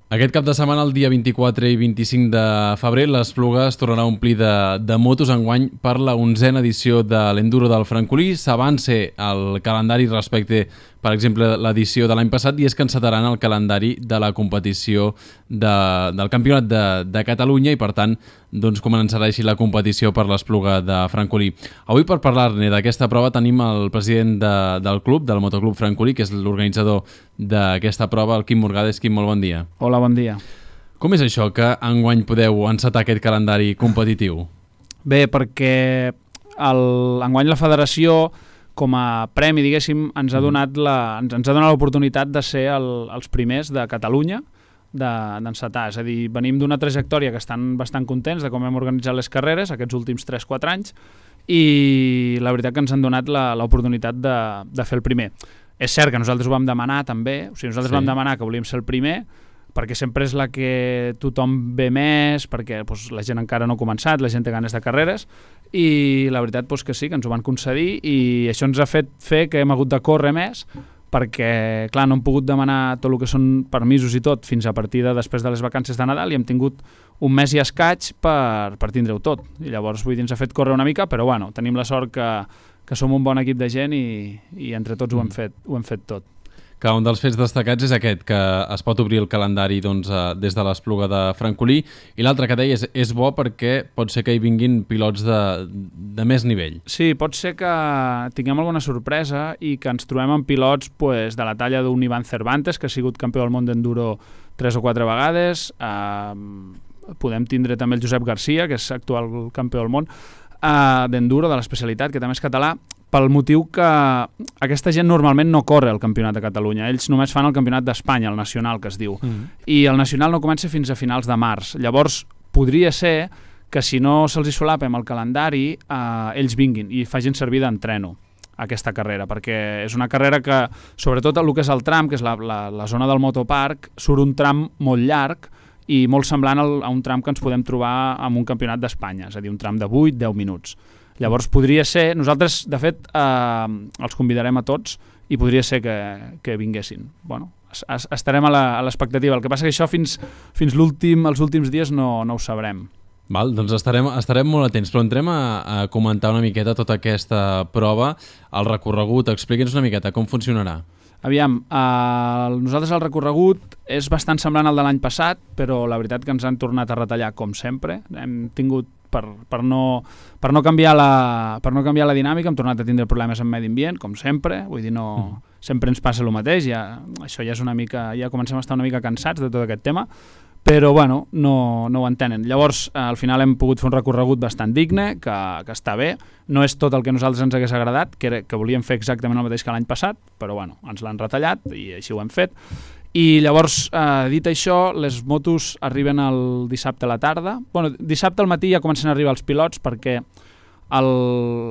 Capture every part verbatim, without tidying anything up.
Aquest cap de setmana, el dia vint-i-quatre i vint-i-cinc de febrer, l'Espluga es tornarà a omplir de, de motos enguany per la onzena edició de l'Enduro del Francolí. S'avança el calendari respecte, per exemple, l'edició de l'any passat, i és que encetaran el calendari de la competició de, del Campionat de, de Catalunya i, per tant, doncs començarà així la competició per l'Espluga de Francolí. Avui, per parlar-ne d'aquesta prova, tenim el president de, del club, del Motoclub Francolí, que és l'organitzador d'aquesta prova, el Quim Morgades. Quim, molt bon dia. Hola, bon dia. Com és això que enguany podeu encetar aquest calendari competitiu? Bé, perquè el, enguany la federació, com a premi, diguéssim, ens ha donat la, ens, ens ha donat l'oportunitat de ser el, els primers de Catalunya d'encetar. És a dir, venim d'una trajectòria que estan bastant contents de com hem organitzat les carreres aquests últims tres quatre anys, i la veritat que ens han donat l'oportunitat de, de fer el primer. És cert que nosaltres ho vam demanar també, o sigui, nosaltres sí. vam demanar que volíem ser el primer, perquè sempre és la que tothom ve més, perquè doncs, la gent encara no ha començat, la gent té ganes de carreres, i la veritat doncs, que sí, que ens ho van concedir, i això ens ha fet fer que hem hagut de córrer més, perquè, clar, no hem pogut demanar tot el que són permisos i tot fins a partir de després de les vacances de Nadal, i hem tingut un mes i escaig per, per tindre-ho tot. I llavors, vull dir, ens ha fet córrer una mica, però bueno, tenim la sort que, que som un bon equip de gent i, i entre tots mm. ho hem fet, ho hem fet tot. Que un dels fets destacats és aquest, que es pot obrir el calendari doncs, des de l'Espluga de Francolí, i l'altre que deies és bo perquè pot ser que hi vinguin pilots de, de més nivell. Sí, pot ser que tinguem alguna sorpresa i que ens trobem amb pilots pues, de la talla d'un Ivan Cervantes, que ha sigut campió del món d'enduro tres o quatre vegades. Eh, podem tindre també el Josep Garcia, que és actual campió del món eh, d'enduro, de l'especialitat, que també és català, pel motiu que aquesta gent normalment no corre el Campionat de Catalunya. Ells només fan el Campionat d'Espanya, el nacional, que es diu. Mm. I el nacional no comença fins a finals de març. Llavors, podria ser que si no se'ls hi solapem el calendari, eh, ells vinguin i facin servir d'entreno aquesta carrera, perquè és una carrera que, sobretot el que és el tram, que és la, la, la zona del motoparc, surt un tram molt llarg i molt semblant al, a un tram que ens podem trobar en un Campionat d'Espanya, és a dir, un tram de vuit a deu minuts. Llavors podria ser, nosaltres de fet eh, els convidarem a tots i podria ser que, que vinguessin. Bueno, es, es, estarem a l'expectativa, el que passa que això fins, fins l'últim, els últims dies no, no ho sabrem. Val, doncs estarem, estarem molt atents, però entrem a, a comentar una miqueta tota aquesta prova, el recorregut, explica'ns una miqueta com funcionarà. Aviam, eh, nosaltres el recorregut és bastant semblant al de l'any passat, però la veritat que ens han tornat a retallar com sempre. Hem tingut Per, per, no, per, no canviar la, per no canviar la dinàmica, hem tornat a tindre problemes amb medi ambient, com sempre, vull dir, no, mm. sempre ens passa el mateix, ja, això ja és una mica, ja comencem a estar una mica cansats de tot aquest tema, però bueno, no, no ho entenen. Llavors, eh, al final hem pogut fer un recorregut bastant digne, que, que està bé, no és tot el que a nosaltres ens hagués agradat, que, era, que volíem fer exactament el mateix que l'any passat, però bueno, ens l'han retallat i així ho hem fet. I llavors, eh, dit això, les motos arriben el dissabte a la tarda. Bueno, dissabte al matí ja comencen a arribar els pilots perquè el,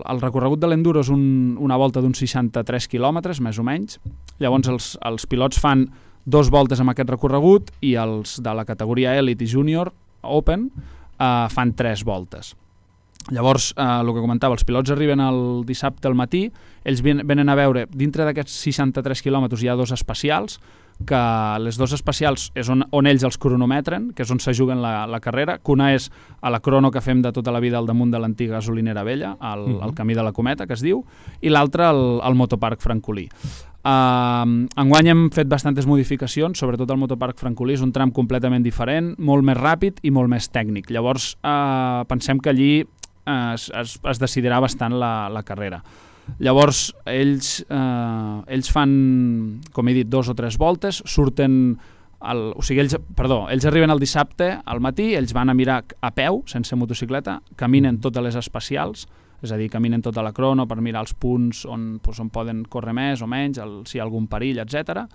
el recorregut de l'enduro és un, una volta d'uns seixanta-tres quilòmetres, més o menys. Llavors els, els pilots fan dos voltes amb aquest recorregut i els de la categoria Elite i Junior Open eh, fan tres voltes. Llavors, eh, el que comentava, els pilots arriben el dissabte al matí, ells venen a veure, dintre d'aquests seixanta-tres quilòmetres hi ha dos especials, que les dos especials és on, on ells els cronometren, que és on se juguen la, la carrera, que una és a la crono que fem de tota la vida al damunt de l'antiga gasolinera vella, al, uh-huh. al camí de la Cometa, que es diu, i l'altra al, al Motoparc Francolí. Uh, enguany hem fet bastantes modificacions, sobretot el Motoparc Francolí és un tram completament diferent, molt més ràpid i molt més tècnic. Llavors uh, pensem que allí uh, es, es, es decidirà bastant la, la carrera. Llavors, ells, eh, ells fan, com he dit, dos o tres voltes, surten, el, o sigui, ells, perdó, ells arriben el dissabte al matí, ells van a mirar a peu, sense motocicleta, caminen totes les especials, és a dir, caminen tota la crono per mirar els punts on, doncs, on poden córrer més o menys, el, si hi ha algun perill, etcètera,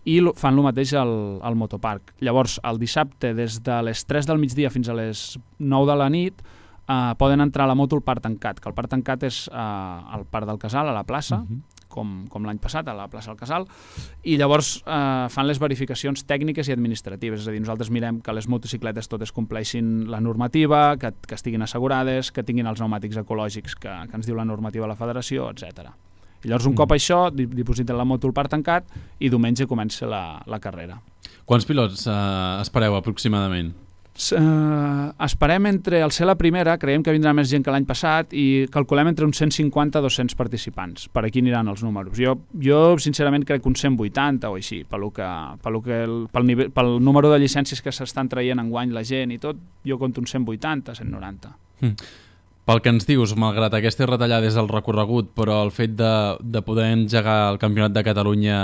i fan el mateix al, al motoparc. Llavors, el dissabte, des de les tres del migdia fins a les nou de la nit, Uh, poden entrar a la moto al parc tancat, que el parc tancat és uh, al parc del Casal, a la plaça, uh-huh. com, com l'any passat, a la plaça del Casal, i llavors uh, fan les verificacions tècniques i administratives, és a dir, nosaltres mirem que les motocicletes totes compleixin la normativa, que, que estiguin assegurades, que tinguin els pneumàtics ecològics que, que ens diu la normativa de la federació, etcètera. I llavors un uh-huh. cop això, dipositen la moto al parc tancat i diumenge comença la, la carrera. Quants pilots eh, espereu aproximadament? Uh, esperem entre el ser la primera, creiem que vindrà més gent que l'any passat i calculem entre uns cent cinquanta a dos-cents participants. Per aquí aniran els números. Jo, jo sincerament crec que uns cent vuitanta o així, pel, que, pel, que el, pel, nivell, pel número de llicències que s'estan traient enguany la gent i tot, jo compto uns cent vuitanta, cent noranta. Mm. Pel que ens dius, malgrat aquestes retallades del recorregut, però el fet de, de poder engegar el Campionat de Catalunya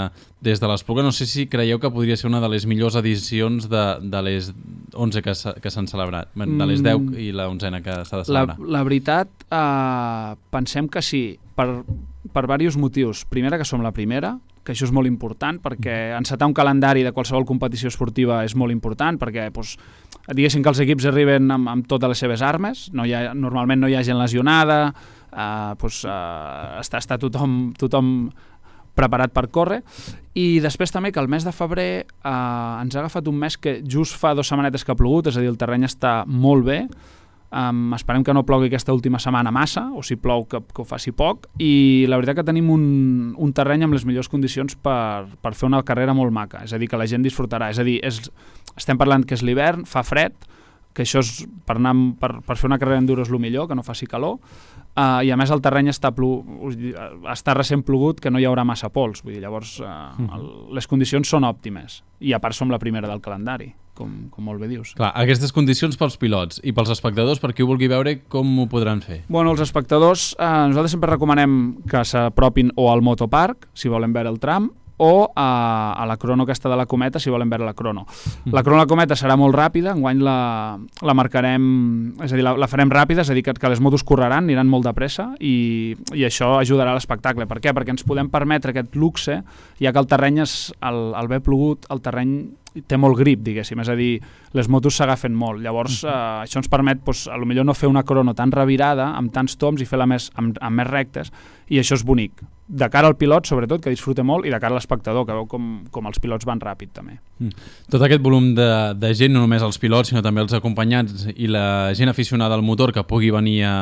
des de l'Espluga, no sé si creieu que podria ser una de les millors edicions de, de les onze que, que s'han celebrat, de les deu i la onzena que s'ha de celebrar. La, la veritat, eh, pensem que sí, per, per diversos motius. Primera, que som la primera, que això és molt important, perquè encetar un calendari de qualsevol competició esportiva és molt important, perquè doncs, diguéssim que els equips arriben amb, amb totes les seves armes, no hi ha, normalment no hi ha gent lesionada, eh, doncs, eh, està, està tothom, tothom preparat per córrer, i després també que el mes de febrer eh, ens ha agafat un mes que just fa dues setmanetes que ha plogut, és a dir, el terreny està molt bé. Um, esperem que no plogui aquesta última setmana massa, o si plou que, que ho faci poc, i la veritat que tenim un, un terreny amb les millors condicions per, per fer una carrera molt maca, és a dir, que la gent disfrutarà, és a dir, és, estem parlant que és l'hivern, fa fred, que això és per, anar, per, per fer una carrera enduro és el millor, que no faci calor, uh, i a més el terreny està, plu, està recent plogut, que no hi haurà massa pols, vull dir, llavors uh, el, les condicions són òptimes, i a part som la primera del calendari. Com, com molt bé dius. Clar, aquestes condicions pels pilots i pels espectadors, per qui ho vulgui veure, com ho podran fer? Bueno, els espectadors, eh, nosaltres sempre recomanem que s'apropin o al motoparc, si volen veure el tram, o a, a la crono aquesta de la Cometa, si volen veure la crono. La crono de la Cometa serà molt ràpida, enguany la, la marcarem, és a dir, la, la farem ràpida, és a dir, que, que les motos correran, aniran molt de pressa, i, i això ajudarà a l'espectacle. Per què? Perquè ens podem permetre aquest luxe, ja que el terreny, és, el, el bé plogut, el terreny té molt grip, diguéssim, és a dir, les motos s'agafen molt, llavors eh, això ens permet, doncs, a lo millor no fer una crono tan revirada, amb tants toms i fer-la més, amb, amb més rectes, i això és bonic, de cara al pilot sobretot, que disfruta molt, i de cara a l'espectador, que veu com, com els pilots van ràpid també. Mm. Tot aquest volum de, de gent, no només els pilots, sinó també els acompanyants i la gent aficionada al motor que pugui venir a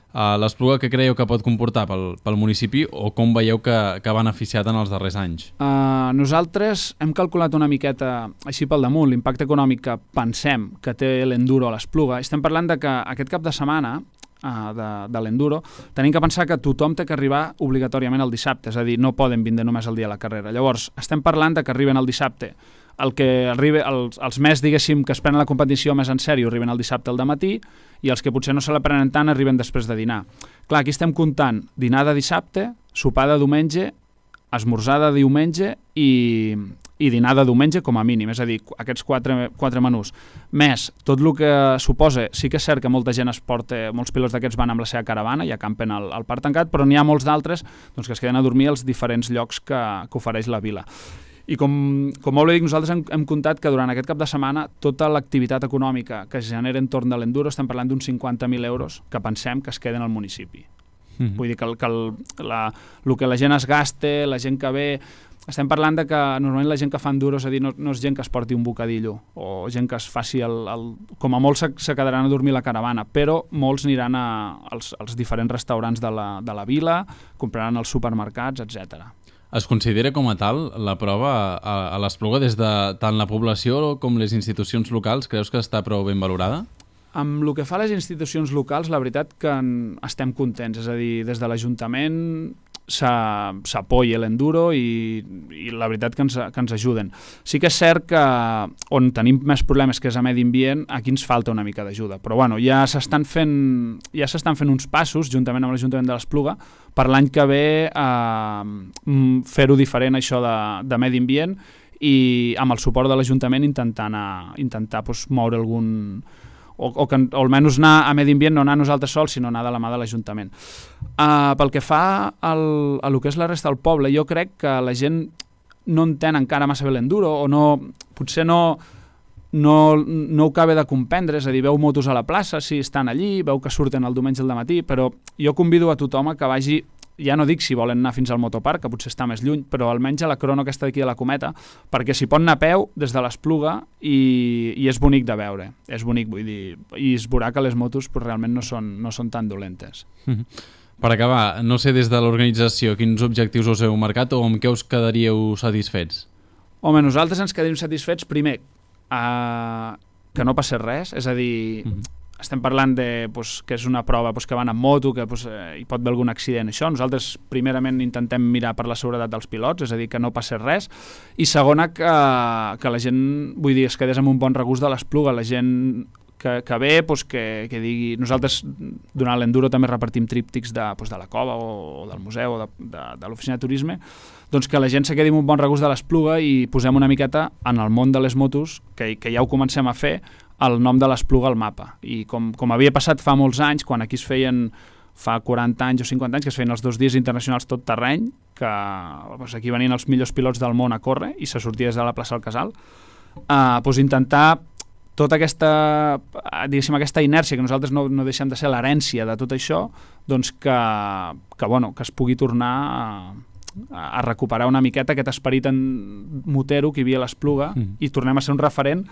Uh, l'Espluga, què creieu que pot comportar pel, pel municipi, o com veieu que, que ha beneficiat en els darrers anys? Uh, nosaltres hem calculat una miqueta així pel damunt l'impacte econòmic que pensem que té l'enduro a l'Espluga. Estem parlant de que aquest cap de setmana uh, de, de l'enduro tenim que pensar que tothom té que arribar obligatòriament el dissabte, és a dir, no poden vindre només el dia de la carrera. Llavors, estem parlant de que arriben el dissabte. El que arriba, els, els més, diguéssim, que es prenen la competició més en sèrio arriben el dissabte al dematí, i els que potser no se la prenen tant arriben després de dinar. Clar, aquí estem comptant dinar de dissabte, sopar de diumenge, esmorzar de diumenge i, i dinar de diumenge com a mínim, és a dir, aquests quatre, quatre menús. Més, tot el que suposa, sí que és cert que molta gent es porta, molts pilots d'aquests van amb la seva caravana i acampen al, al parc tancat, però n'hi ha molts d'altres doncs, que es queden a dormir als diferents llocs que, que ofereix la vila. I com, com molt bé dic, nosaltres hem, hem comptat que durant aquest cap de setmana tota l'activitat econòmica que es genera entorn de l'enduro, estem parlant d'uns cinquanta mil euros que pensem que es queden al municipi. Mm-hmm. Vull dir que, el, que el, la, el que la gent es gaste, la gent que ve... Estem parlant de que normalment la gent que fa enduro, és a dir, no, no és gent que es porti un bocadillo o gent que es faci el... el com a molts se, se quedaran a dormir a la caravana, però molts aniran a, als, als diferents restaurants de la, de la vila, compraran als supermercats, etcètera. Es considera com a tal la prova a, a l'Espluga des de tant la població com les institucions locals? Creus que està prou ben valorada? Amb el que fa les institucions locals, la veritat que en estem contents, és a dir, des de l'Ajuntament s'apoya l'enduro i, i la veritat que ens, que ens ajuden. Sí que és cert que on tenim més problemes, que és a medi ambient, aquí ens falta una mica d'ajuda, però bueno, ja s'estan fent, ja s'estan fent uns passos, juntament amb l'Ajuntament de l'Espluga, per l'any que ve eh, fer-ho diferent això de, de medi ambient i amb el suport de l'Ajuntament intentar, anar, intentar doncs, moure algun... O, o, que, o almenys anar a medi ambient, no anar nosaltres sols, sinó anar de la mà de l'Ajuntament. Uh, pel que fa al, a lo que és la resta del poble, jo crec que la gent no entén encara massa bé l'enduro, o no, potser no, no, no ho acaba de comprendre, és a dir, veu motos a la plaça, sí, estan allí, veu que surten el diumenge al dematí, però jo convido a tothom a que vagi, ja no dic si volen anar fins al motoparc, que potser està més lluny, però almenys a la crono aquesta d'aquí de la Cometa, perquè s'hi pot anar a peu des de l'Espluga i, i és bonic de veure. És bonic, vull dir, i es veurà que les motos pues, realment no són, no són tan dolentes. Mm-hmm. Per acabar, no sé des de l'organització quins objectius us heu marcat o amb què us quedaríeu satisfets? Home, nosaltres ens quedem satisfets, primer, eh, que no passés res, és a dir, mm-hmm. estem parlant de, pues, que és una prova pues, que van amb moto, que pues, eh, hi pot haver algun accident, això. Nosaltres, primerament, intentem mirar per la seguretat dels pilots, és a dir, que no passés res, i segona, que, que la gent, vull dir, es quedés amb un bon regust de l'Espluga, la gent que, que ve, pues, que, que digui... Nosaltres, durant l'Enduro, també repartim tríptics de, pues, de la cova o, o del museu o de, de, de l'oficina de turisme, doncs que la gent se quedi amb un bon regust de l'Espluga i posem una miqueta en el món de les motos, que, que ja ho comencem a fer, el nom de l'Espluga al mapa. I com, com havia passat fa molts anys, quan aquí es feien fa quaranta anys o cinquanta anys, que es feien els dos dies internacionals tot terreny, que doncs aquí venien els millors pilots del món a córrer i se sortia des de la plaça del Casal, eh, doncs intentar tota aquesta, diguéssim, aquesta inèrcia que nosaltres no, no deixem de ser l'herència de tot això, doncs que, que, bueno, que es pugui tornar a, a recuperar una miqueta aquest esperit en motero que hi havia a l'Espluga mm. i tornem a ser un referent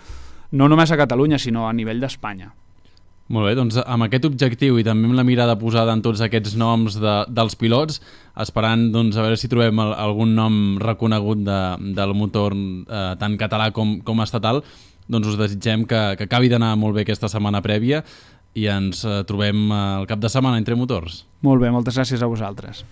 no només a Catalunya, sinó a nivell d'Espanya. Molt bé, doncs amb aquest objectiu i també amb la mirada posada en tots aquests noms de, dels pilots, esperant doncs, a veure si trobem el, algun nom reconegut de, del motor eh, tant català com, com estatal, doncs us desitgem que, que acabi d'anar molt bé aquesta setmana prèvia i ens eh, trobem el cap de setmana entre motors. Molt bé, moltes gràcies a vosaltres.